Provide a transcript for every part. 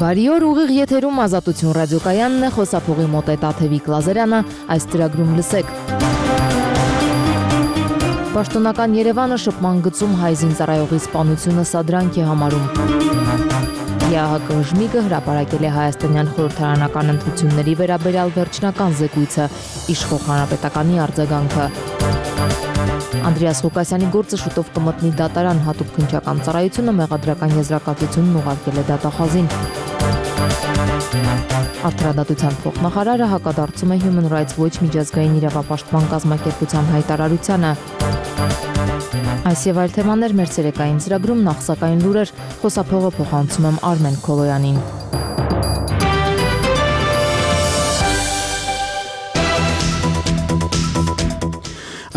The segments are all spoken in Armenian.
Բարի օր, ուղիղ եթերում Ազատություն ռադիոկայանն է, խոսափողի մոտ է Տաթևիկ Լազարյանը, այս ծրագրում լսեք։ Պաշտոնական Երևանը շփման գծում հայ զինծառայողի սպանությունը սադրանք է համարում։ ԵԱՀԿ Ժմիկը հրապարակել է հայաստանյան խորհրդարանական ընտրությունների վերաբերյալ վերջնական զեկույցը, իշխող հանրապետականի արձագանքը։ Անդրեաս Ղուկասյանի գործը շուտով կմտնի դատարան, հատուկ քննչական ծառայությունը մեղադրական եզրակացությունն ուղարկել է դատախազին։ Արդարադատության փոխնախարարը հակադարձում է Human Rights Watch միջազգային իրավապաշտպան կազմակերպության հայտարարությանը։ Այս եւ այլ թեմաներ մեր ցերեկային ծրագրում, նախ սակայն լուրեր, խոսափողը փոխանցում եմ Արմեն Քոլոյանին։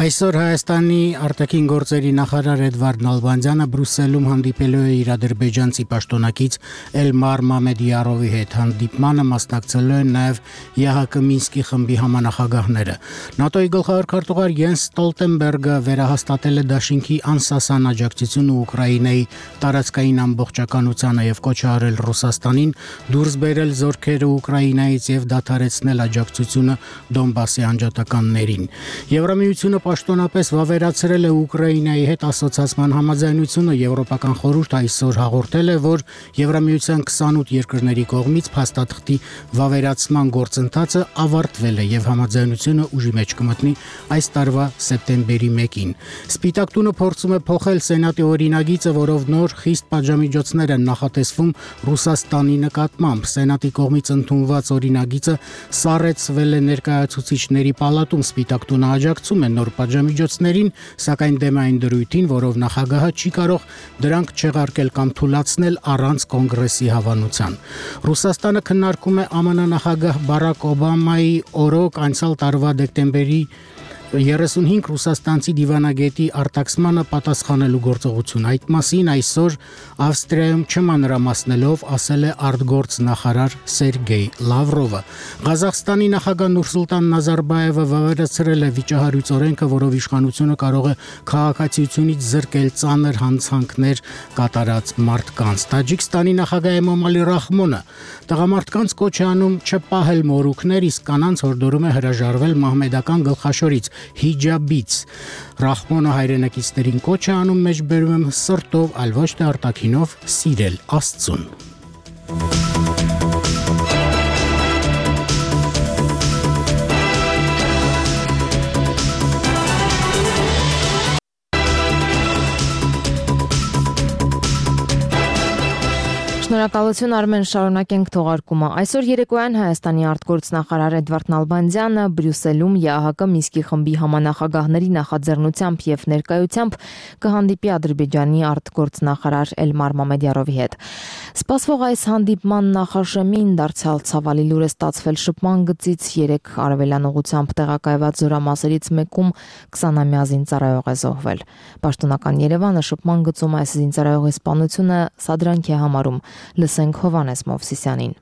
Այսօր Հայաստանի արտաքին գործերի նախարար Էդվարդ Նալբանդյանը Բրյուսելում հանդիպելու է իր ադրբեջանցի պաշտոնակից Էլմար Մամեդիարովի հետ։ Հանդիպմանը մասնակցելու են նաև ԵԱՀԿ Մինսկի խմբի համանախագահները։ ՆԱՏՕ-ի գլխավոր քարտուղար Յենս Ստոլտենբերգը վերահաստատել է դաշինքի անսասան աջակցությունը Ուկրաինայի տարածքային ամբողջականությանը եւ կոչ արել Ռուսաստանին դուրս բերել զորքերը Ուկրաինայից եւ դադարեցնել աջակցությունը Դոնբասի անջատականներին։ Եվրամիությունը պաշտոնապես վավերացրել է Ուկրաինայի հետ ասոցիացման համաձայնությունը։ Եվրոպական խորհուրդ այսօր հաղորդել է, որ Եվրամիության 28 երկրների կողմից փաստաթղթի վավերացման գործընթացը ավարտվել է եւ համաձայնությունը ուժի մեջ կմտնի այս տարվա սեպտեմբերի 1-ին։ Սպիտակ տունը փորձում է փոխել Սենատի օրինագիծը, որով նոր խիստ պատժամիջոցներ են նախատեսվում Ռուսաստանի նկատմամբ։ Սենատի կողմից ընդունված օրինագիծը սառեցվել է ներկայացուցիչների պալատում։ Սպիտակ տունը աջակցում է նոր պատժամիջոցներին, սակայն դեմ այն դրույթին, որով նախագահը չի կարող դրանք չեղարկել կամ թույլատրել առանց կոնգրեսի հավանության։ Ռուսաստանը քննարկում է ԱՄՆ նախագահ Բարակ Օբամայի օրոք անցյալ տարվա դեկտեմբերի 35 ռուսաստանցի դիվանագետի արտաքսմանը պատասխանելու գործողություն։ Այդ մասին այսօր Ավստրիայում չմանրամասնելով ասել է արտգործ նախարար Սերգեյ Լավրովը։ Ղազախստանի նախագահ Նուրսուլտան Նազարբաևը վավերացրել է վիճահարույց օրենքը, որով իշխանությունը կարող է քաղաքացիությունից զրկել ծանր հանցանքներ կատարած մարդկանց։ Տաջիկստանի նախագահ Էմոմալի Ռախմոնը տղամարդկանց կոչ է անում չպահել մորուքներ, իսկ կանանց հորդորում է հրաժարվել մահմեդական գլխաշորից հիջաբից։ Ռախմոնը հայրենակիցներին կոչ է անում, մեջբերում եմ սրտով, այլ ոչ թե արտաքինով սիրել Աստծուն։ Շնորհակալություն Արմեն, շարունակենք թողարկումը։ Այսօր երեկոյան Հայաստանի արտգործնախարար Էդվարդ Նալբանդյանը Բրյուսելում ԵԱՀԿ Մինսկի խմբի համանախագահների նախաձեռնությամբ եւ ներկայությամբ կհանդիպի Ադրբեջանի արտգործնախարար Էլմար Մամեդիարովի հետ։ Սպասվող այս հանդիպման նախաշեմին դարձյալ ցավալի լուր է ստացվել շփման գծից 3 արևելյան ուղությամբ տեղակայված զորամասերից մեկում 20-ամյա զինծառայող է զոհվել։ Պաշտոնական Երևանը շփման գծում այս զինծառայողի սպանությունը սադրանք է համարում։ Լսենք Հովանես Մովսիսյանին։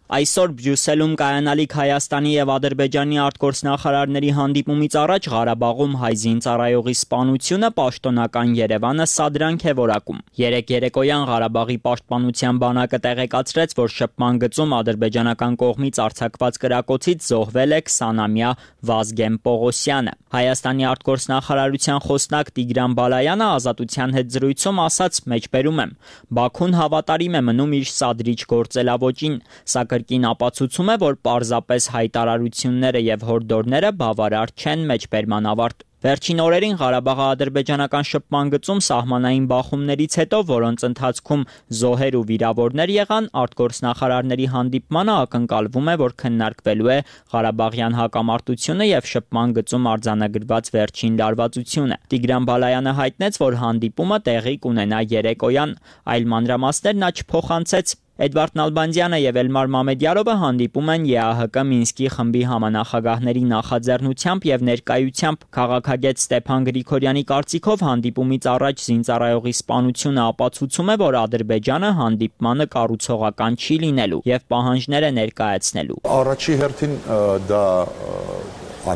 Այսօր Բրյուսելում կայանալիք Հայաստանի եւ Ադրբեջանի արտգործնախարարների հանդիպումից առաջ Ղարաբաղում հայ զինծառայողի սպանությունը պաշտոնական Երևանը սադրանք է որակում։ Երեկոյան Ղարաբաղի պաշտպանության բանակը տեղեկացրեց, որ շփման գծում ադրբեջանական կողմից արձակված կրակոցից զոհվել է 20-ամյա Վազգեն Պողոսյանը։ Հայաստանի արտգործնախարարության խոսնակ Տիգրան Բալայանը Ազատության հետ զրույցում ասաց. «Մեջբերում եմ, Բաքուն հավատարիմ է մնում իր սադրիչ գործելավոճին, սակայն կրկին ապացուցում է, որ պարզապես հայտարարությունները եւ հորդորները բավարար չեն մեջբերման ավարտ»։ Վերջին օրերին Ղարաբաղի ադրբեջանական շփման գծում սահմանային բախումներից հետո, որոնց ընթացքում զոհեր ու վիրավորներ եղան, արտգործնախարարների հանդիպմանը ակնկալվում է, որ քննարկվելու է Ղարաբաղյան հակամարտությունը եւ շփման գծում արձանագրված վերջին լարվածությունը։ Տիգրան Բալայանը հայտնեց, որ հանդիպումը տեղի կունենա երեկոյան, այլ մանրամասներ նա չփոխանցեց։ Էդվարդ Նալբանդյանը եւ Էլմար Մամեդիարովը հանդիպում են ԵԱՀԿ Մինսկի խմբի համանախագահների նախաձեռնությամբ եւ ներկայությամբ։ Քաղաքագետ Ստեփան Գրիգորյանի կարծիքով հանդիպումից առաջ զինծառայողի սպանությունը ապացուցում է, որ Ադրբեջանը հանդիպմանը կառուցողական չի լինելու եւ պահանջներ է ներկայացնելու։ Առաջի հերթին դա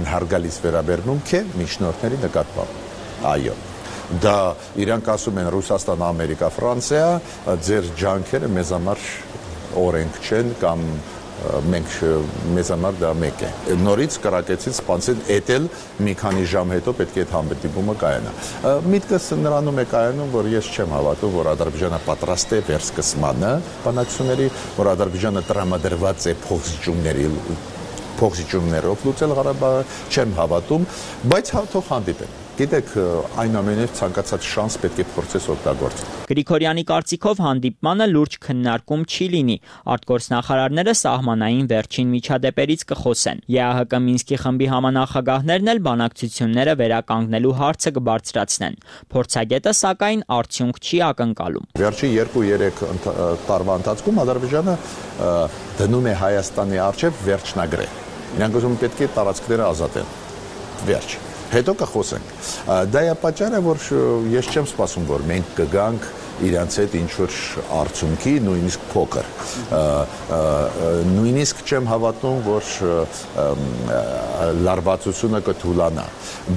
անհարգալից վերաբերմունք է միջնորդների նկատմամբ։ Այո։ Դա իրանք ասում են Ռուսաստան, Ամերիկա, Ֆրանսիա, ձեր ջանքերը մեզ համար օրենք չեն կամ մենք մեզ համար դա մեկ է։ Նորից կրակեցին սպանցին էտել մի քանի ժամ հետո պետք է այդ հանդիպումը կայանա։ Միտքս նրանում է կայանում, որ ես չեմ հավատում, որ Ադրբեջանը պատրաստ է վերսկսմանը բանակցությունների, որ Ադրբեջանը տրամադրված է փոխզիջումներով լուծել Ղարաբաղը, չեմ հավատում, բայց թող հանդիպեն։ Գիտեք, այնուամենայնիվ ցանկացած շանս պետք է փորձես օգտագործել։ Գրիգորյանի կարծիքով հանդիպմանը լուրջ քննարկում չի լինի։ Արտգործնախարարները սահմանային վերջին միջադեպերից կխոսեն։ ԵԱՀԿ Մինսկի խմբի համանախագահներն էլ բանակցությունները վերականգնելու հարցը կբարձրացնեն։ Փորձագետը սակայն արդյունք չի ակնկալում։ Վերջի 2-3 տարվա ընթացքում Ադրբեջանը դնում է Հայաստանի առջև վերջնագրեր։ Իրանք ուզում պետք է տարածքները ազատեն։ Վերջ։ Հետո կխոսենք։ Դա է պատճառը, որ ես չեմ սպասում, որ մենք կգանք իրանց հետ ինչ-որ արդյունքի, նույնիսկ փոքր։ Նույնիսկ չեմ հավատում, որ լարվածությունը կթուլանա։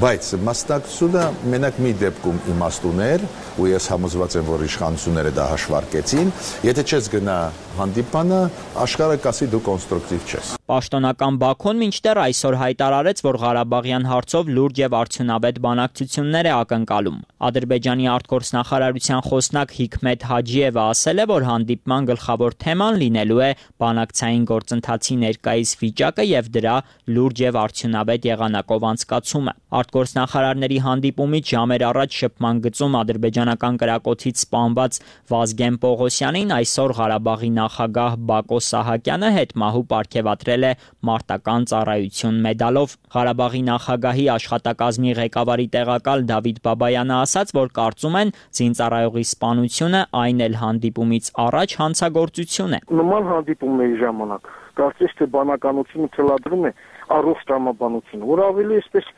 Բայց մասնակցությունը մենակ մի դեպքում իմաստ ուներ, ու ես համոզված եմ, որ իշխանությունները դա հաշվարկեցին, եթե չես գնա հանդիպանը, աշխարհը կասի դու կոնստրուկտիվ չես։ Պաշտոնական Բաքուն մինչդեռ այսօր հայտարարեց, որ Ղարաբաղյան հարցով լուրջ եւ արդյունավետ բանակցություններ է ակնկալում։ Ադրբեջանի արտգործնախարարության խոսնակ Հիկմետ Հաջիևը ասել է, որ հանդիպման գլխավոր թեման լինելու է բանակցային գործընթացի ներկայիս վիճակը եւ դրա լուրջ եւ արդյունավետ եղանակով անցկացումը։ Արտգործնախարարների հանդիպումից ժամեր առաջ շփման գծում ադրբեջանական կրակոցից սպանված Վազգեն Պողոսյանին այսօր Ղարաբաղի նախագահ Բակո Սահակյանը հետմահու պարգևատրել է մարտական ծառայություն մեդալով։ Ղարաբաղի նախագահի աշխատակազմի ղեկավարի տեղակալ Դավիթ Բաբայանը ասաց, որ կարծում են զինծառայողի սպանությունը այն էլ հանդիպումից առաջ հանցագործություն է։ Նման հանդիպումների ժամանակ կարծես թե բանականությունը թելադրում է առողջ տրամաբանությունը, որ ավելի այսպես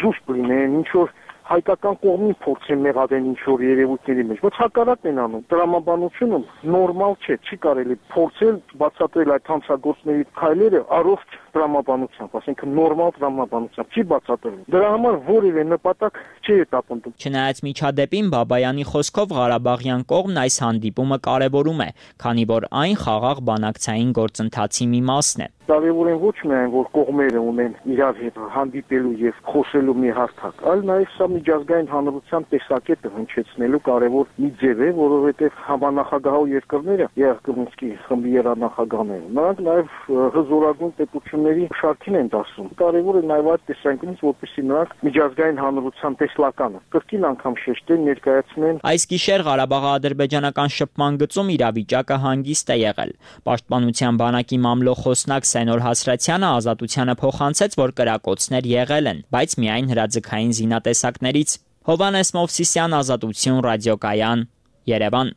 զուսպ լինեն, ինչ որ հայկական կողմին փորձեն մեղադրեն ինչ-որ երևույթների մեջ, բայց հակառակն են անում։ Տրամաբանությունը նորմալ չէ, չի կարելի փորձել բացատրել այդ հանցագործների քայլերը առողջ տրամաբանությամբ, ասենք նորմալ տրամաբանությամբ, չի բացատրվում։ Դրա համար որևէ նպատակ չի հետապնդում։ Չնայած միջադեպին Բաբայանի խոսքով Ղարաբաղյան կողմն այս հանդիպումը կարևորում է, քանի որ այն խաղաղ բանակցային գործընթացի մի մասն է։ Կարևոր են ոչ միայն որ կողմերը ունեն իրար հետ հանդիպելու եւ խոսելու մի հարթակ, այլ նաեւ սա միջազգային հանրության տեսակետը հնչեցնելու կարևոր մի ձև է, որովհետեւ համանախագահող երկրները, ԵԱՀԿ Մինսկի խմբի երանախագահները, նրանք նաեւ հզորագույն պետությունների շարքին են դասում։ Կարևոր է նաեւ այդ տեսանկյունից, որպեսզի նրանք միջազգային հանրության տեսլականը կրկին անգամ շեշտեն, ներկայացնեն։ Այս գիշեր Ղարաբաղի ադրբեջանական շփման գծում իրավիճակը հանգիստ է եղել։ Պաշտպանության բանակի մամլոխոսնակ Սենոր Հասրատյանը Ազատությանը փոխանցեց, որ կրակոցներ եղել են, բայց միայն հրաձգային զինատեսակներից։ Հովհաննես Մովսիսյան, Ազատություն, ռադիոկայան, Երևան։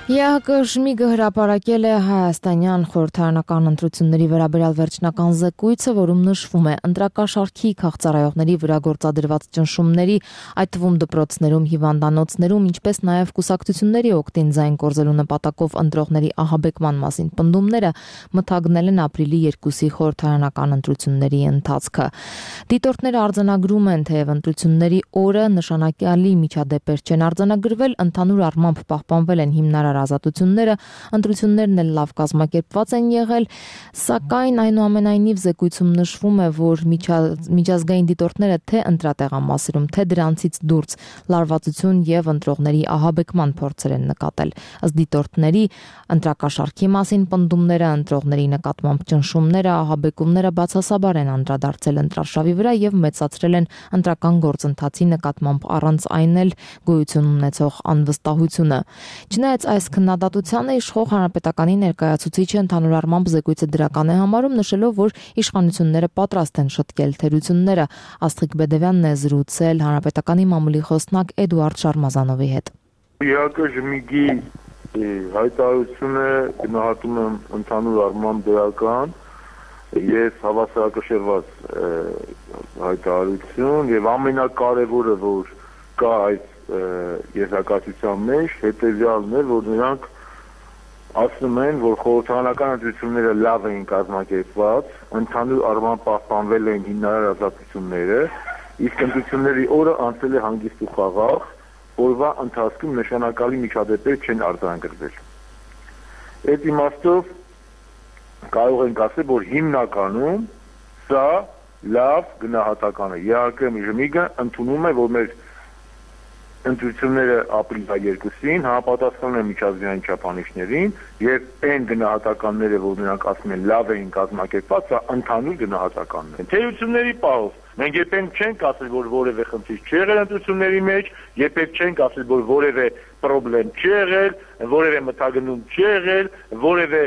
ԵԱՀԿ Շմիգը հրապարակել է հայաստանյան խորհրդարանական ընտրությունների վերաբերյալ վերջնական զեկույցը, որում նշվում է ընտրակաշարքի քաղցարայողների վրա գործադրված ճնշումների, այդ թվում դպրոցներում, հիվանդանոցներում, ինչպես նաև կուսակցությունների օգտին ձայն կորզելու նպատակով ընտրողների ահաբեկման մասին պնդումները մթագնել են ապրիլի 2-ի խորհրդարանական ընտրությունների ընթացքը։ Դիտորդները արձանագրում են, թեև ընտրությունների օրը նշանակալի միջադեպեր չեն արձանագրվել, ընդհանուր առմամբ պահպանվել են հիմնարար ազատությունները, ընտրություններն էլ լավ կազմակերպված են եղել, սակայն այնուամենայնիվ զեկույցում նշվում է, որ միջազգային դիտորդները թե ընտրատեղամասերում, թե դրանցից դուրս լարվածություն եւ ընտրողների ահաբեկման փորձեր են նկատել։ Ըստ դիտորդների, ընտրակաշարքի մասին պնդումները, ընտրողների նկատմամբ ճնշումները, ահաբեկումները բացասաբար են անդրադարձել ընտրարշավի վրա եւ մեծացրել են ընտրական գործընթացի նկատմամբ առանց այն էլ գոյություն ունեցող անվստահությունը։ Չնայած այս քննադատությանը իշխող հանրապետականի ներկայացուցիչը ընդհանուր առմամբ զեկույցը դրական է համարում, նշելով, որ իշխանությունները պատրաստ են շտկել թերությունները։ Աստղիկ Բեդևյանն է զրուցել հանրապետականի մամուլի խոսնակ Էդուարդ Շարմազանովի հետ։ ԵԱՀԿ Շմիգի հայտարարությունը գնահատում եմ ընդհանուր առմամբ դրական, ես հավասարակշռված հայտարարություն եւ ամենակարևորը, որ կա այս եզրակացության մեջ, հետեւյալն է, որ նրանք ասում են, որ խորհրդարանական ընտրությունները լավ էին կազմակերպված, ընդհանուր առմամբ պահպանվել են հիմնարար ազատությունները իսկ ընտրությունների օրը անցել է հանգիստ ու խաղաղ, օրվա ընթացքում նշանակալի միջադեպեր չեն արձանագրվել։ Այդ իմաստով կարող ենք ասել, որ հիմնականում սա լավ գնահատական է։ Իհարկե ԺՄԻԳ-ը ընդունում է, որ մեր ընտրությունները ապրիլի 2-ին համապատասխանում են միջազգային չափանիշներին եւ այն գնահատականները, որ նրանք ասում են լավ էին կազմակերպված, սա ընդհանուր գնահատականներ են։ Թերությունների պահով մենք երբեք չենք ասել, որ որևէ խնդիր չի եղել ընտրությունների մեջ, երբեք չենք ասել, որ որևէ խնդրեմ չի եղել, որևէ մթագնում չի եղել, որևէ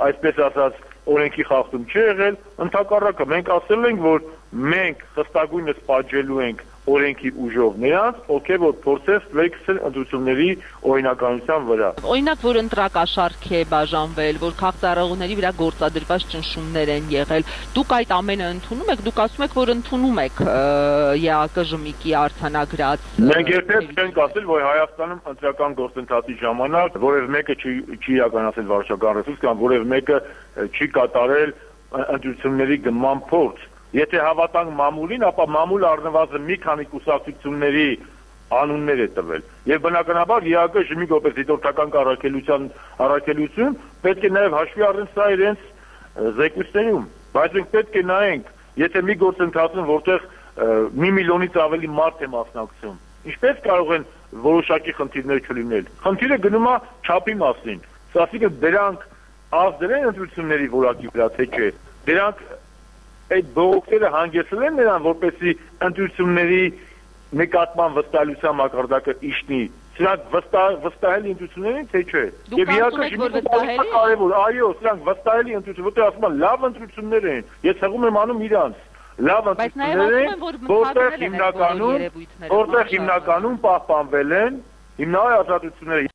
այսպես ասած օրենքի խախտում չի եղել, ընդհակառակը մենք ասել ենք, որ մենք խստագույնս պատժելու ենք օրենքի ուժով նրանց, ովքեր որ փորձեն ֆլեքսել ընտրությունների օրինականության վրա։ Օրինակ, որ ընտրակաշառք է բաժանվել, որ քաղաքացիների վրա գործադրված ճնշումներ են եղել, դուք այդ ամենը ընդունում եք, դուք ասում եք, որ ընդունում եք ԵԱԿ-ի արձանագրած։ Մենք երբեք չենք ասել, որ Հայաստանում ընտրական գործընթացի ժամանակ որևէ մեկը չի իրականացել վարչական ռեսուրս կամ որևէ մեկը չի կատարել ընտրությունների գնման փորձ։ Եթե հավատանք մամուլին, ապա մամուլը առնվազն մի քանի կուսակցությունների անուններ է տվել։ Եվ բնականաբար ԵԱԿ ԺՄԻԳ որպես դիտորդական առաքելություն պետք է նաև հաշվի առնել սա իրենց զեկույցներում։ Բայց մենք պետք է նայենք, եթե մի գործընթացում, որտեղ 1 միլիոնից ավելի մարդ է մասնակցում, ինչպես կարող են որոշակի խնդիրներ չլինել։ Խնդիրը գնում է չափի մասին։ Ասիկա դրանք ազդել են ընտրությունների որակի վրա, թե չէ։ Դրանք այդ բողոքները հանգեցրել են նրան, որպեսզի ընտրությունների նկատմամբ վստահության մակարդակը իջնի։ Սրանք վստահելի ընտրություններին, թե չէ։ Եվ իհարկե կարևոր, այո, սրանք վստահելի ընտրություն, որտեղ ասում են լավ ընտրություններ են։ Ես հղում եմ անում իրանց։ Լավ ընտրություններ են, որտեղ հիմնականում պահպանվել են հիմնավոր ազատությունները։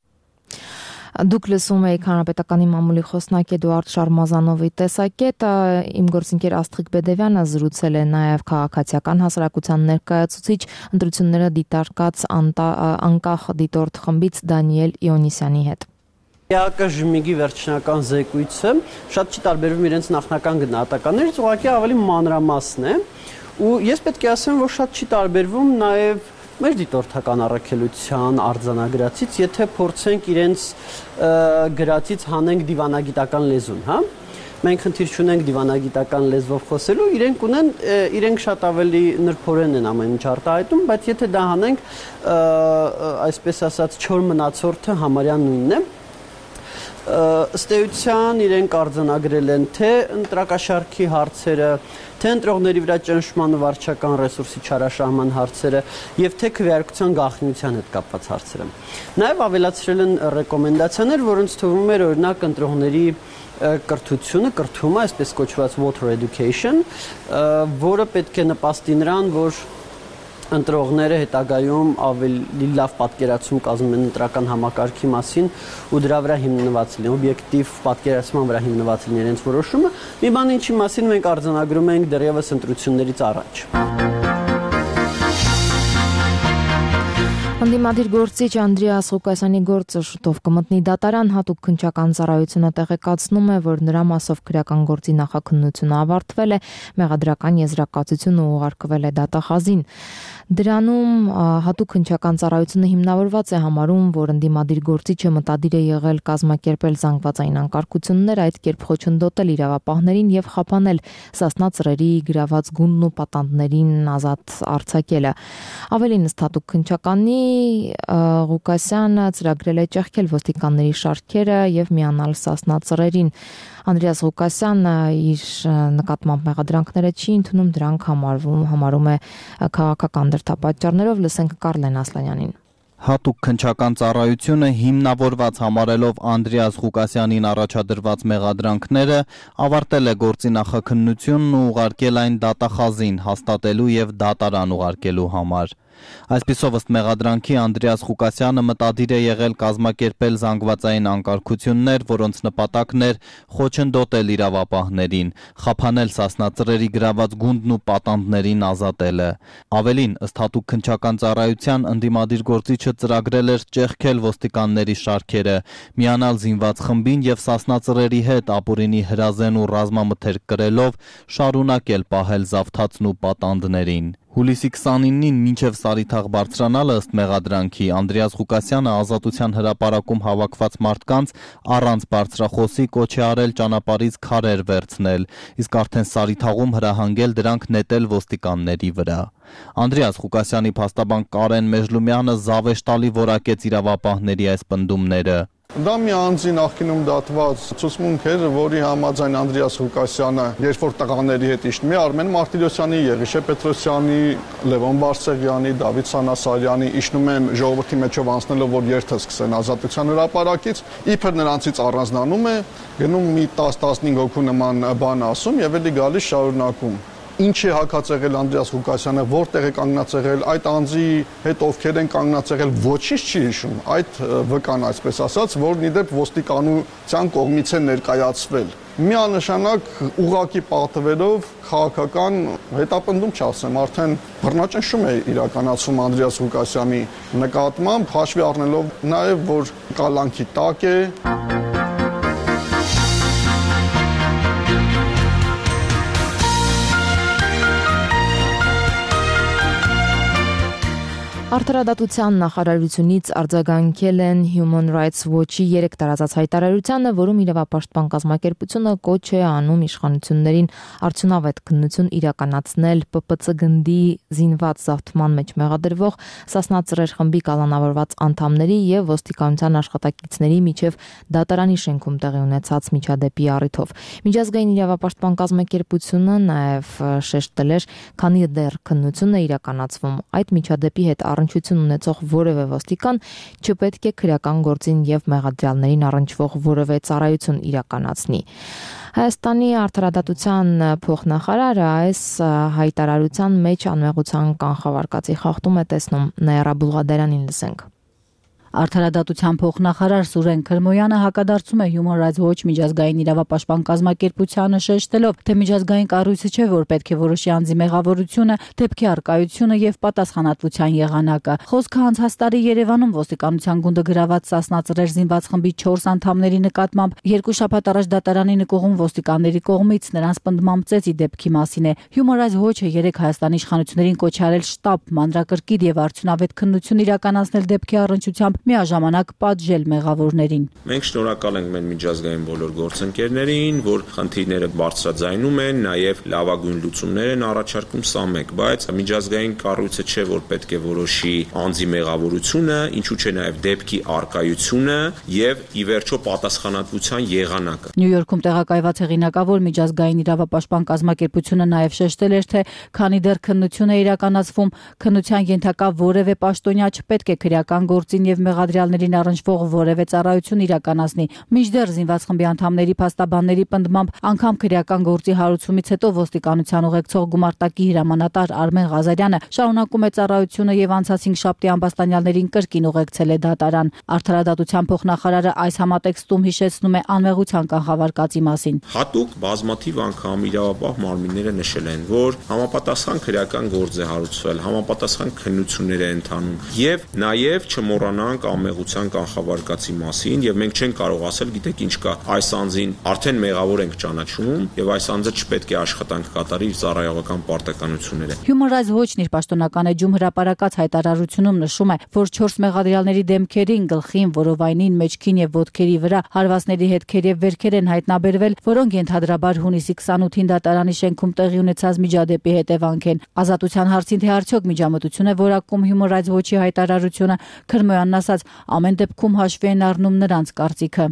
Դուք լսում եք Հանրապետականի մամուլի խոսնակ Էդուարդ Շարմազանովի տեսակետը, իմ գործընկեր Աստղիկ Բեդևյանը զրուցել է նաև քաղաքացիական հասարակության ներկայացուցիչ ընտրությունները դիտարկած անկախ դիտորդ խմբից Դանիել Իոնիսյանի հետ։ ԵԱԿ ԺՄԻԳ-ի վերջնական զեկույցը շատ չի տարբերվում իրենց նախնական գնահատականներից, ուղղակի ավելի մանրամասն է, ու ես պետք է ասեմ, որ շատ չի տարբերվում նաև մեր դիտորդական առաքելության արձանագրածից, եթե փորձենք իրենց գրածից հանենք դիվանագիտական լեզուն, հա։ Մենք խնդիր չունենք դիվանագիտական լեզվով խոսելու, իրենք շատ ավելի նրբորեն են ամեն ինչ արտահայտում, բայց եթե դա հանենք, այսպես ասած, չոր մնացորդը համարյա նույնն է։ Ըստ էության իրենք արձանագրել են թե ընտրակաշառքի հարցերը, թե ընտրողների վրա ճնշման ու վարչական ռեսուրսի չարաշահման հարցերը եւ թե քվեարկության գաղտնիության հետ կապված հարցերը։ Նաեւ ավելացրել են ռեկոմենդացիաներ, որոնց թվում էր օրինակ ընտրողների կրթումը, այսպես կոչված voter education, որը պետք է նպաստի նրան, որ ընտրողները հետագայում ավելի լավ պատկերացում կազմեն ընտրական համակարգի մասին ու դրա վրա հիմնված լինեն, օբյեկտիվ պատկերացման վրա հիմնված լինեն իրենց որոշումը։ Մի բան ինչի մասին մենք արձանագրում ենք դեռևս ընտրություններից առաջ։ Ընդդիմադիր գործիչ Անդրեաս Ղուկասյանի գործը շուտով կմտնի դատարան, հատուկ քննչական ծառայությունը տեղեկացնում է, որ նրա մասով քրեական գործի նախաքննությունը ավարտվել է, մեղադրական եզրակացությունը ուղարկվել է դատախազին։ Դրանում հատուկ քննչական ծառայությունը հիմնավորված է համարում, որ ընդդիմադիր գործիչը մտադիր է եղել կազմակերպել զանգվածային անկարգություններ, այդ կերպ խոչընդոտել իրավապահներին եւ խափանել Սասնա ծռերի գրաված գունդն ու պատանդներին ազատ արձակելը։ Ավելին ըստ հատուկ քննչականի Ղուկասյանը ծրագրել է ճեղքել ոստիկանների շարքերը եւ միանալ Սասնա ծռերին։ Անդրեաս Ղուկասյանը իր նկատմամբ մեղադրանքները չի ընդունում, դրանք համարում է քաղաքական դրդապատճառներով։ Լսենք Կարլեն Ասլանյանին։ Հատուկ քննչական ծառայությունը հիմնավորված համարելով Անդրեաս Ղուկասյանին առաջադրված մեղադրանքները ավարտել է գործի նախաքննությունն ու ուղարկել այն դատախազին հաստատելու եւ դատարան ուղարկելու համար։ Այսպիսով ըստ մեղադրանքի Անդրեաս Ղուկասյանը մտադիր է եղել կազմակերպել զանգվածային անկարգություններ, որոնց նպատակն էր խոչընդոտել իրավապահներին, խափանել Սասնա ծռերի գրաված գունդն ու պատանդներին ազատելը։ Ավելին, ըստ հատուկ քննչական ծառայության ընդդիմադիր գործիչը ծրագրել էր ճեղքել ոստիկանների շարքերը, միանալ զինված խմբին եւ Սասնա ծռերի հետ ապուրինի հրազեն ու ռազմամթերք կրելով շարունակել պահել զավթածն ու պատանդներին։ Հուլիսի 29-ին մինչև Սարիթաղ բարձրանալը ըստ մեղադրանքի Անդրեաս Ղուկասյանը Ազատության հրապարակում հավաքված մարդկանց առանց բարձրախոսի կոչ է արել ճանապարհից քարեր վերցնել, իսկ արդեն Սարիթաղում հրահանգել դրանք նետել ոստիկանների վրա։ Անդրեաս Ղուկասյանի փաստաբան Կարեն Մեժլումյանը զավեշտալի որակեց իրավապահների այս պնդումները։ Դա մի անձի նախկինում դատված ցուցմունք էր, որի համաձայն Անդրեաս Ղուկասյանը, երբ որ տղաների հետ իջնում է, Արմեն Մարտիրոսյանի, Եղիշե Պետրոսյանի, Լևոն Բարսեղյանի, Դավիթ Սանասարյանի իջնում են ժողովրդի մեջով անցնելով, որ երթը սկսեն Ազատության հրապարակից, իբր նրանցից առանձնանում է, գնում մի 10-15 հոգու նման բան ասում եւ էլի գալիս շարունակում։ Ինչ է հակած եղել Անդրեաս Ղուկասյանը, որտեղ է կանգնած եղել, այդ անձի հետ ովքեր են կանգնած եղել, ոչինչ չի հիշում, այդ վկան այսպես ասած, որն իդեպ ոստիկանության կողմից է ներկայացվել։ Միանշանակ ուղղակի պատվերով քաղաքական հետապնդում չասեմ, արդեն բռնաճնշում է իրականացվում Անդրեաս Ղուկասյանի նկատմամբ, հաշվի առնելով նաև, որ կալանքի տակ է։ Արդարադատության նախարարությունից արձագանքել են Human Rights Watch-ի 3 տարածած հայտարարությանը, որում իրավապաշտպան կազմակերպությունը կոչ է անում իշխանություններին արդյունավետ քննություն իրականացնել ՊՊՑ գնդի զինված զավթման մեջ մեղադրվող Սասնա Ծռեր խմբի կալանավորված անդամների եւ ոստիկանության աշխատակիցների միջև դատարանի շենքում տեղի ունեցած միջադեպի առիթով։ Միջազգային իրավապաշտպան կազմակերպությունը նաեւ շեշտել էր, քանի դեռ քննությունն է իրականացվում, այդ միջադեպի հետ առնչություն ունեցող որևէ ոստիկան չպետք է քրեական գործին եւ մեղադրյալներին առնչվող որևէ ծառայություն իրականացնի։ Հայաստանի արդարադատության փոխնախարարը այս հայտարարության մեջ անմեղության կանխավարկածի խախտում է տեսնում։ Նաիրա Բուլղադարյանին լսենք։ Արդարադատության փոխնախարար Սուրեն Քրմոյանը հակադարձում է Human Rights Watch միջազգային իրավապաշտպան կազմակերպությանը շեշտելով, թե միջազգային կառույցը չէ, որ պետք է որոշի անձի մեղավորությունը, դեպքի առկայությունը եւ պատասխանատվության եղանակը։ Խոսքը անցած տարի Երևանում ոստիկանության գունդը գրաված Սասնա Ծռեր զինված խմբի 4 անդամների նկատմամբ 2 շաբաթ առաջ դատարանի նկողում ոստիկանների կողմից նրանց պնդմամբ ծեծի դեպքի մասին է։ Human Rights Watch-ը 3 Հայաստանի իշխանություններին կոչ արել շտապ, մանրակրկիտ եւ արդյունավետ քննություն իրականացնել դեպքի առնչությամբ միաժամանակ պատժել մեղավորներին։ Մենք շնորհակալ ենք մեր միջազգային բոլոր գործընկերներին, որ խնդիրները բարձրաձայնում են, նաև լավագույն լուծումներ են առաջարկում, սա մեկ, բայց միջազգային կառույցը չէ, որ պետք է որոշի անձի մեղավորությունը, ինչու՞ չէ նաև դեպքի առկայությունը եւ ի վերջո պատասխանատվության եղանակը։ Նյու Յորքում տեղակայված հեղինակավոր միջազգային իրավապաշտպան կազմակերպությունը նաև շեշտել էր, թե քանի դեռ քննություն է իրականացվում, քննության ենթակա որևէ պաշտոնյա չպետք է քրեական գործին եւ մեղադրյալներին առնչվող որևէ ծառայություն իրականացնի։ Մինչդեռ զինված խմբի անդամների փաստաբանների պնդմամբ անգամ քրեական գործի հարուցումից հետո ոստիկանության ուղեկցող գումարտակի հրամանատար Արմեն Ղազարյանը շարունակում է ծառայությունը եւ անցած 5 շաբթի ամբաստանյալներին կրկին ուղեկցել է դատարան։ Արդարադատության փոխնախարարը այս համատեքստում հիշեցնում է անմեղության կանխավարկածի մասին։ Հատուկ բազմաթիվ անգամ իրավապահ մարմինները նշել են, որ համապատասխան քրեական գործ է հարուցվել, համապատասխան քննություններ է ընթանում եւ նաեւ չմոռանանք անմեղության կանխավարկածի մասին եւ մենք չենք կարող ասել, գիտեք ինչ կա, այս անձին արդեն մեղավոր ենք ճանաչում եւ այս անձը չպետք է աշխատանք կատարի իր ծառայողական պարտականությունները։ Human Rights Watch-ն իր պաշտոնական էջում հրապարակած հայտարարությունում նշում է, որ 4 մեղադրյալների դեմքերին, գլխին, որովայնին, մեջքին եւ ոտքերի վրա հարվածների հետքեր եւ վերքեր են հայտնաբերվել, որոնք ենթադրաբար հունիսի 28-ին դատարանի շենքում տեղի ունեցած միջադեպի հետևանք են։ Ազատության հարցին թե արդյոք միջամտություն է որակում Human Rights Watch-ի հայտարարությունը, Քրմոյանն ասաց, ամեն դեպքում հաշվի են առնում նրանց կարծիքը։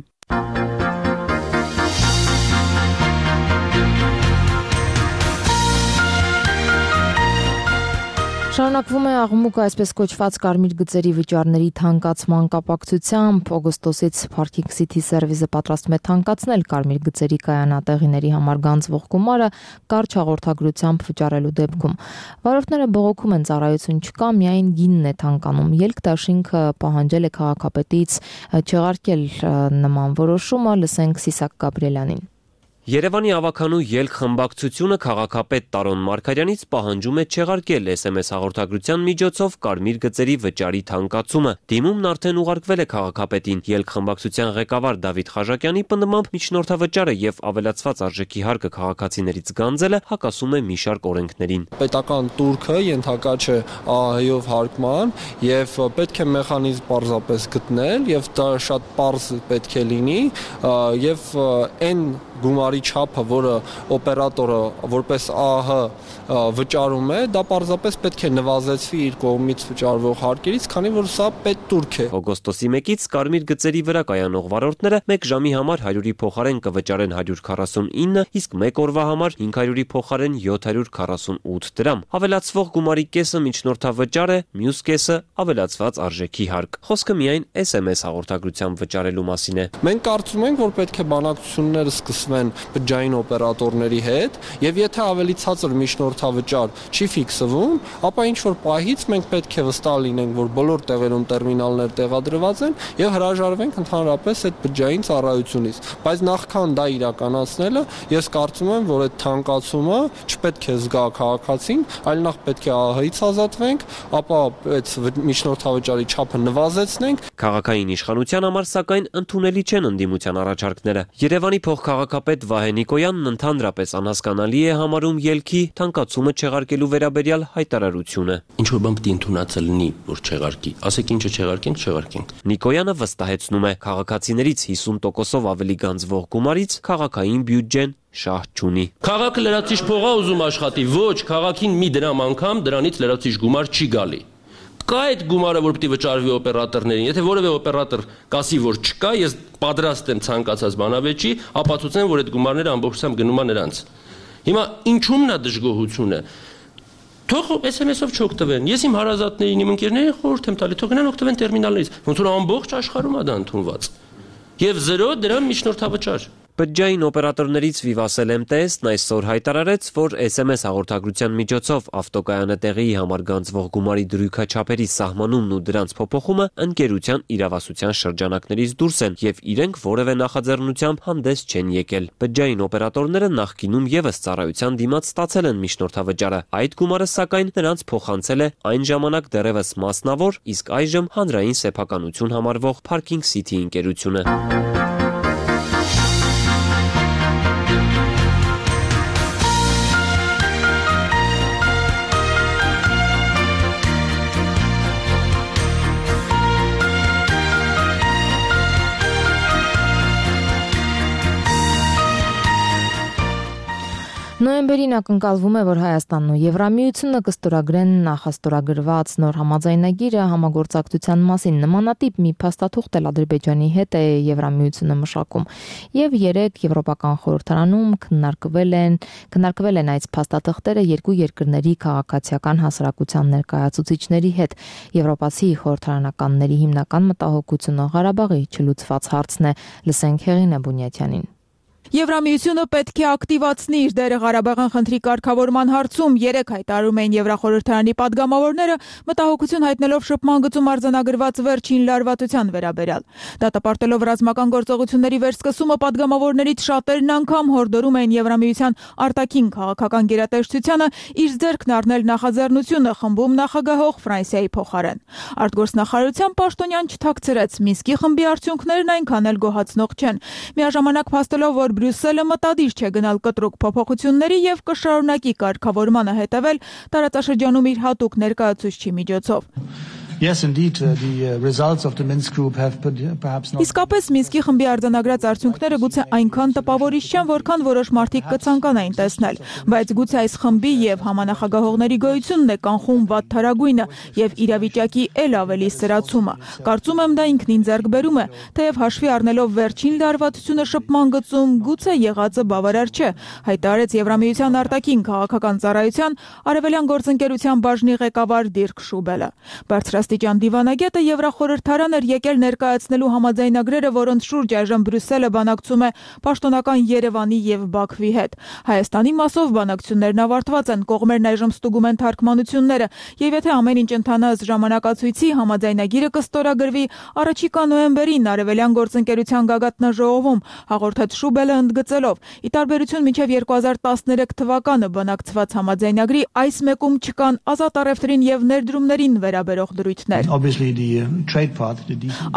Շարունակվում է աղմուկը այսպես կոչված կարմիր գծերի վճարների թանկացման կապակցությամբ։ Օգոստոսից Parking City Service-ը պատրաստում է թանկացնել կարմիր գծերի կայանատեղիների համար գանձվող գումարը կարճ հաղորդագրությամբ վճարելու դեպքում։ Վարորդները բողոքում են, ծառայություն չկա, միայն գինն է թանկանում։ Ելք-դաշինքը պահանջել է քաղաքապետից չեղարկել նման որոշումը, լսենք Սիսակ Գաբրիելյանին։ Երևանի ավականու ելք խմբակցությունը քաղաքապետ Տարոն Մարգարյանից պահանջում է չեղարկել SMS հաղորդագրության միջոցով կարմիր գծերի վճարի թանկացումը։ Դիմումն արդեն ուղարկվել է քաղաքապետին։ Ելք խմբակցության ղեկավար Դավիթ Խաժակյանի պնդմամբ միջնորդավճարը եւ ավելացված արժեքի հարկը քաղաքացիներից գանձելը հակասում է մի շարք օրենքներին։ Պետական տուրքը ենթակա չէ ԱՀ-ով հարկման եւ պետք է մեխանիզմ պարզապես գտնել եւ դա շատ պարզ պետք է լինի եւ այն գումարի չափը, որը օպերատորը որպես ԱՀ վճարում է, դա պարզապես պետք է նվազեցվի իր կողմից վճարվող հարկերից, քանի որ սա պետտուրք է։ Օգոստոսի 1-ից կարմիր գծերի վրա կայանող վարորդները 1 ժամի համար 100-ի փոխարեն կվճարեն 149, իսկ 1 օրվա համար 500-ի փոխարեն 748 դրամ։ Ավելացվող գումարի կեսը միջնորդավճար է, մյուս կեսը ավելացված արժեքի հարկ։ Խոսքը միայն SMS հաղորդագրությամբ վճարելու մասին է։ Մենք կարծում ենք, որ պետք է բանակցությունները սկսվեն բջջային օպերատորների հետ, եւ եթե ավելի ցածր միջնորդավճար չի ֆիքսվում, ապա ինչ որ պահից մենք պետք է վստահ լինենք, որ բոլոր տեղերում տերմինալներ տեղադրված են եւ հրաժարվենք ընդհանրապես այդ բջջային ծառայությունից։ Բայց նախքան դա իրականացնելը, ես կարծում եմ, որ այդ թանկացումը չպետք է զգա քաղաքացին, այլ նախ պետք է ԱՀ-ից ազատվենք, ապա այդ միջնորդավճարի չափը նվազեցնենք։ Քաղաքային իշխանության համար սակայն ընդունելի չեն ընդդիմության առաջարկները։ Երևանի փոխքաղաքապետ Վահե Նիկոյանն ընդհանրապես անհասկանալի է համարում ելքի թանկացումը չեղարկելու վերաբերյալ հայտարարությունը։ Ինչ որ բան պետք է ընդունածը լինի, որ չեղարկի։ Ասեք ինչը չեղարկենք։ Նիկոյանը վստահեցնում է, քաղաքացիներից 50%-ով ավելի գանձվող գումարից քաղաքային բյուջեն շահ չունի։ Քաղաքը լրացիչ փող է ուզում աշխատի, ոչ, քաղաքին մի դրամ անգամ դրանից լրացիչ գումար չի գալի։ Կա այդ գումարը, որ պետք է վճարվի օպերատորներին։ Եթե որևէ օպերատոր կասի, որ չկա, ես պատրաստ եմ ցանկացած բանավեճի ապացուցեմ, որ այդ գումարները ամբողջությամբ գնում են նրանց։ Հիմա ինչումն է դժգոհությունը։ Թող SMS-ով չօգտվեն։ Ես իմ հարազատներին, իմ ընկերներին խորհուրդ եմ տալի, թող գնան օգտվեն տերմինալներից, ոնց որ ամբողջ աշխարհում է դա ընդունված։ Եվ 0 դրամ միջնորդավճար։ Բջջային օպերատորներից Vivatel MTS-ն այսօր հայտարարեց, որ SMS հաղորդագրության միջոցով ավտոկայանը տեղի համար գանձվող գումարի դրույքաչափերի սահմանումն ու դրանց փոփոխումը ընկերության իրավասության շրջանակներից դուրս են եւ իրենք որևէ նախաձեռնությամբ հանդես չեն եկել։ Բջջային օպերատորները նախկինում եւս ծառայության դիմաց ստացել են միջնորդավճարը։ Այդ գումարը սակայն նրանց փոխանցել է այն ժամանակ դեռևս մասնավոր, իսկ այժմ հանրային սեփականություն համարվող Parking City ընկերությունը։ Նոյեմբերին ակնկալվում է, որ Հայաստանն ու Եվրամիությունը կստորագրեն նախաստորագրված նոր համաձայնագիրը համագործակցության մասին։ Նմանատիպ մի փաստաթուղթ էլ Ադրբեջանի հետ է Եվրամիությունը մշակում։ Եվ 3 Եվրոպական խորհրդարանում քննարկվել են այս փաստաթղթերը երկու երկրների քաղաքացիական հասարակության ներկայացուցիչների հետ։ Եվրոպացի խորհրդարանականների հիմնական մտահոգությունը Ղարաբաղի չլուծված հարցն է։ Լսենք Հեղինե Բունյաթյանին։ Եվրամիությունը պետք է ակտիվացնի իր դերը Ղարաբաղյան խնդրի կարգավորման հարցում, 3 հայտարարում էին Եվրախորհրդարանի падգամավորները, մտահոգություն հայտնելով շփման գծում արձանագրված վերջին լարվածության վերաբերյալ։ Դատապարտելով ռազմական գործողությունների վերսկսումը падգամավորներից շատերն անգամ հորդորում էին Եվրամիության արտաքին քաղաքական գերատեսչությանը իր ձեռքն առնել նախաձեռնությունը խմբում նախագահող Ֆրանսիայի փոխարեն։ Արտգործնախարարության պաշտոնյան չթաքցրեց, Մինսկի խմբի արդյունքներն այնքան էլ գոհացնող չեն։ Միաժամանակ փաստելով, որ Բրյուսելը մտադիր չէ գնալ կտրուկ փոփոխությունների եւ կշարունակի կարգավորմանը հետևել տարածաշրջանում իր հատուկ ներկայացուցչի միջոցով։ Yes, indeed, the results of the Minsk group have perhaps not. Իսկապես Մինսկի խմբի արձանագրած արդյունքները գուցե այնքան տպավորիչ չեն, որքան որոշ մարդիկ կցանկանային տեսնել, բայց գուցե այս խմբի եւ համանախագահողների գոյությունն է կանխում վատթարագույնը եւ իրավիճակի ել ավելի սրացումը։ Կարծում եմ դա ինքնին ձեռք բերում է, թեև հաշվի առնելով վերջին լարվածությունը շփման գծում գուցե եղածը բավարար չէ, հայտարարեց Եվրամիության արտաքին քաղաքական ծառայության արևելյան գործընկերության բաժնի ղեկավար Դիրք Շուբելը։ աստիճան դիվանագետը Եվրախորհրդարան էր եկել ներկայացնելու համաձայնագրերը, որոնց շուրջ այժմ Բրյուսելը բանակցում է պաշտոնական Երևանի եւ Բաքվի հետ։ Հայաստանի մասով բանակցություններն ավարտված են, կողմերն այժմ ստուգում են թարգմանությունները, եւ եթե ամեն ինչ ընթանա ըստ ժամանակացույցի, համաձայնագիրը կստորագրվի առաջիկա նոյեմբերին Արևելյան գործընկերության գագաթնաժողովում, հաղորդեց Շուբելը ընդգծելով։ Ի տարբերություն մինչև 2013 թվականը բանակցված համաձայնագրի այս մեկում չկան ազատ առևտրին եւ ներդրումներին վերաբերող դրույթներ։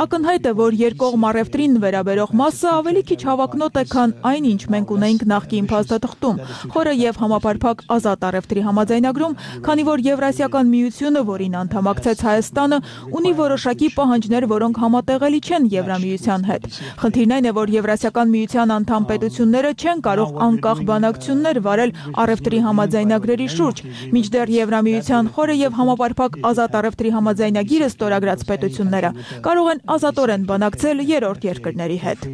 Ակնհայտ է, որ երկկողմ առևտրին վերաբերող մասը ավելի քիչ հավակնոտ է, քան այն, ինչ մենք ունեինք նախկին փաստաթղթում, խորը եւ համապարփակ ազատ առևտրի համաձայնագրում, քանի որ Եվրասիական միությունը, որին անդամակցեց Հայաստանը, ունի որոշակի պահանջներ, որոնք համատեղելի չեն Եվրամիության հետ։ Խնդիրն այն է, որ Եվրասիական միության անդամ պետությունները չեն կարող անկախ բանակցություններ վարել առևտրի համաձայնագրերի շուրջ, մինչդեռ Եվրամիության խորը եւ համապարփակ ազատ առևտրի համաձայնագիրը ստորագրած պետությունները կարող են ազատորեն բանակցել երրորդ երկրների հետ։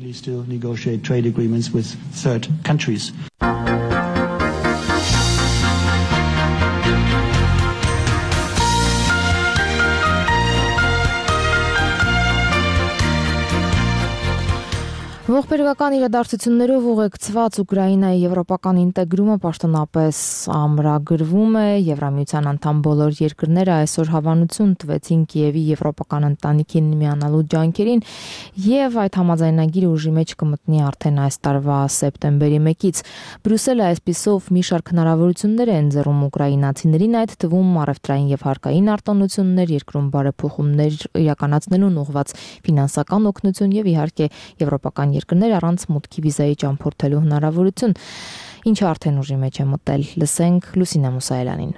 Ողբերգական իրադարձություններով ուղեկցված Ուկրաինայի եվրոպական ինտեգրումը պաշտոնապես ամրագրվում է։ Եվրամիության անդամ բոլոր երկրները այսօր հավանություն տվեցին Կիևի եվրոպական ընտանիքին միանալու ջանքերին եւ այդ համաձայնագիրը ուժի մեջ կմտնի արդեն այս տարվա սեպտեմբերի 1-ից։ Բրյուսելը այսպիսով մի շարք հնարավորություններ է ընձեռում ուկրաինացիներին, այդ թվում առևտրային եւ հարկային արտոնություններ, երկրում բարեփոխումներ իրականացնելուն ուղղված ֆինանսական օգնություն եւ իհարկե եվրոպական երկրներ առանց մուտքի վիզայի ճամփորդելու հնարավորություն, ինչը արդեն ուժի մեջ է մտել։ Լսենք Լուսինե Մուսայելյանին։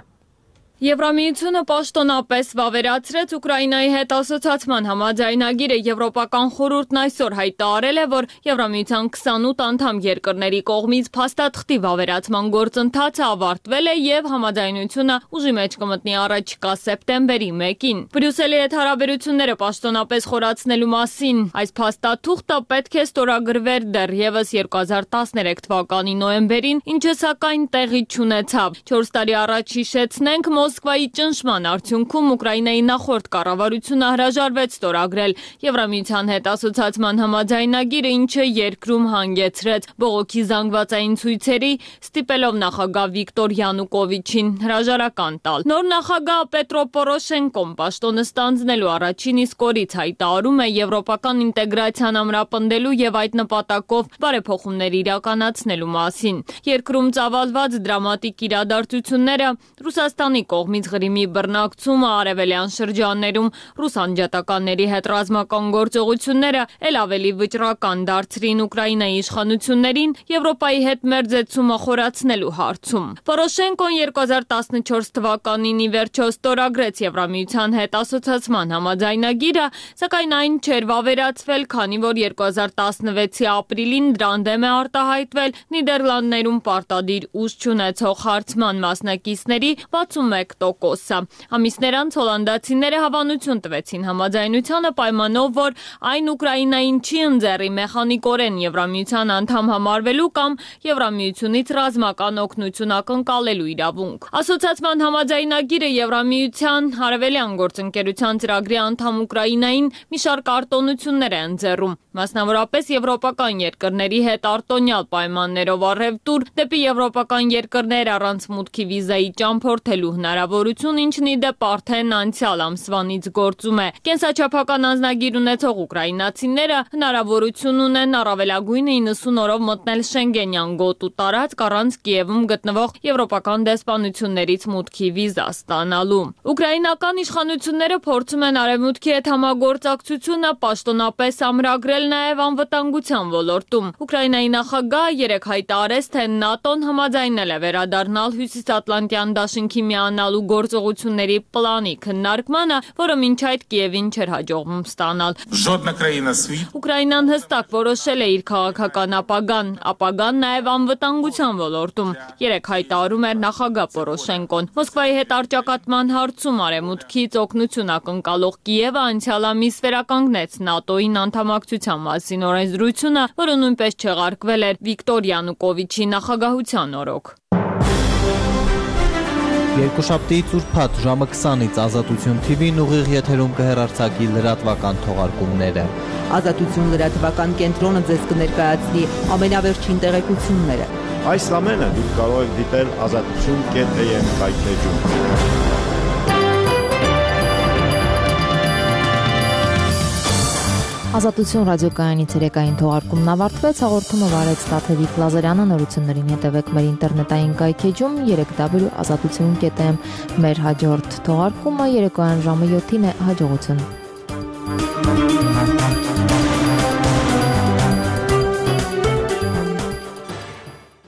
Եվրամիությունը պաշտոնապես վավերացրեց Ուկրաինայի հետ ասոցիացման համաձայնագիրը։ Եվրոպական խորհուրդն այսօր հայտարարել է, որ Եվրամիության 28 անդամ երկրների կողմից փաստաթղթի վավերացման գործընթացը ավարտվել է եւ համաձայնությունը ուժի մեջ կմտնի առաջիկա սեպտեմբերի 1-ին։ Բրյուսելի հետ հարաբերությունները պաշտոնապես խորացնելու մասին այս փաստաթուղթը պետք է ստորագրվեր դեռևս 2013 թվականի նոյեմբերին, ինչը սակայն տեղի չունեցավ։ 4 տարի առաջ հիշեցնենք, Մոսկվայի ճնշման արդյունքում Ուկրաինայի նախորդ կառավարությունը հրաժարվեց ստորագրել Եվրամիության հետ ասոցիացման համաձայնագիրը, ինչը երկրում հանգեցրեց բողոքի զանգվածային ցույցերի, ստիպելով նախագահ Վիկտոր Յանուկովիչին հրաժարական տալ։ Նոր նախագահ Պետրո Պորոշենկոն պաշտոնը ստանձնելու առաջին իսկ օրից հայտարարում է եվրոպական ինտեգրացիան ամրապնդելու եւ այդ նպատակով բարեփոխումներ իրականացնելու մասին։ Երկրում ծավալված դրամատիկ իրադարձությունները, Ռուսաստանի կողմից Ղրիմի բռնակցումը, արևելյան շրջաններում ռուս անջատականների հետ ռազմական գործողությունները էլ ավելի վճռական դարձրին Ուկրաինայի իշխանություններին Եվրոպայի հետ մերձեցումը խորացնելու հարցում։ Պորոշենկոն 2014 թվականին ի վերջո ստորագրեց Եվրամիության հետ ասոցիացման համաձայնագիրը, սակայն այն չէր վավերացվել, քանի որ 2016-ի ապրիլին դրան դեմ է արտահայտվել Նիդերլանդներում պարտադիր ուժ չունեցող հարցման մասնակիցների 61%-ը։ Ամիսներ անց հոլանդացիները հավանություն տվեցին համաձայնությանը պայմանով, որ այն Ուկրաինային չի ընձեռի մեխանիկորեն Եվրամիության անդամ համարվելու կամ Եվրամիությունից ռազմական օգնություն ակնկալելու իրավունք։ Ասոցիացման համաձայնագիրը Եվրամիության Արևելյան գործընկերության ծրագրի անդամ Ուկրաինային մի շարք արտոնություններ է ընձեռում, մասնավորապես եվրոպական երկրների հետ արտոնյալ պայմաններով առևտուր, դեպի եվրոպական երկրներ առանց մուտքի վիզայի ճամփորդելու հնարավորություն, ինչն ի դեպ արդեն անցյալ ամսվանից գործում է։ Կենսաչափական անձնագիր ունեցող ուկրաինացիները հնարավորություն ունեն առավելագույնը 90 օրով մտնել Շենգենյան գոտու տարածք առանց Կիևում գտնվող եվրոպական դեսպանություններից մուտքի վիզա ստանալու։ Ուկրաինական իշխանությունները փորձում են արևմուտքի հետ համագործակցությունը պաշտոնապես ամրագրել նաև անվտանգության ոլորտում։ Ուկրաինայի նախագահը երեկ հայտարարեց, թե ՆԱՏՕ-ն համաձայնել է վերադառնալ Հյուսիսատլանտյան դաշինքի միանալու գործողությունների պլանի քննարկմանը, որը մինչ այդ Կիևին չէր հաջողվում ստանալ։ Ուկրաինան հստակ որոշել է իր քաղաքական ապագան նաև անվտանգության ոլորտում, երեկ հայտարարում էր նախագահ Պորոշենկոն։ Մոսկվայի հետ առճակատման հարցում արևմուտքից օգնություն ակնկալող Կիևը անցյալ ամիս վերականգնեց ՆԱՏՕ-ին անդամակցության մասին օրենսդրությունը, որը նույնպես չեղարկվել էր Վիկտոր Յանուկովիչի նախագահության օրոք։ Երկուշաբթիից ուրբաթ ժամը 20-ից Ազատություն TV-ն ուղիղ եթերում կհեռարձակի լրատվական թողարկումները։ Ազատություն լրատվական կենտրոնը ձեզ կներկայացնի ամենավերջին տեղեկությունները։ Այս ամենը դուք կարող եք դիտել azatutun.am կայքեջում։ Ազատություն ռադիոկայանի ցերեկային թողարկումն ավարտվեց, հաղորդումը վարեց Տաթևիկ Լազարյանը, նորություններին հետևեք մեր ինտերնետային կայքեջում www.azatutun.am։ Մեր հաջորդ թողարկումը երեկոյան ժամը 7-ին է, հաջողություն։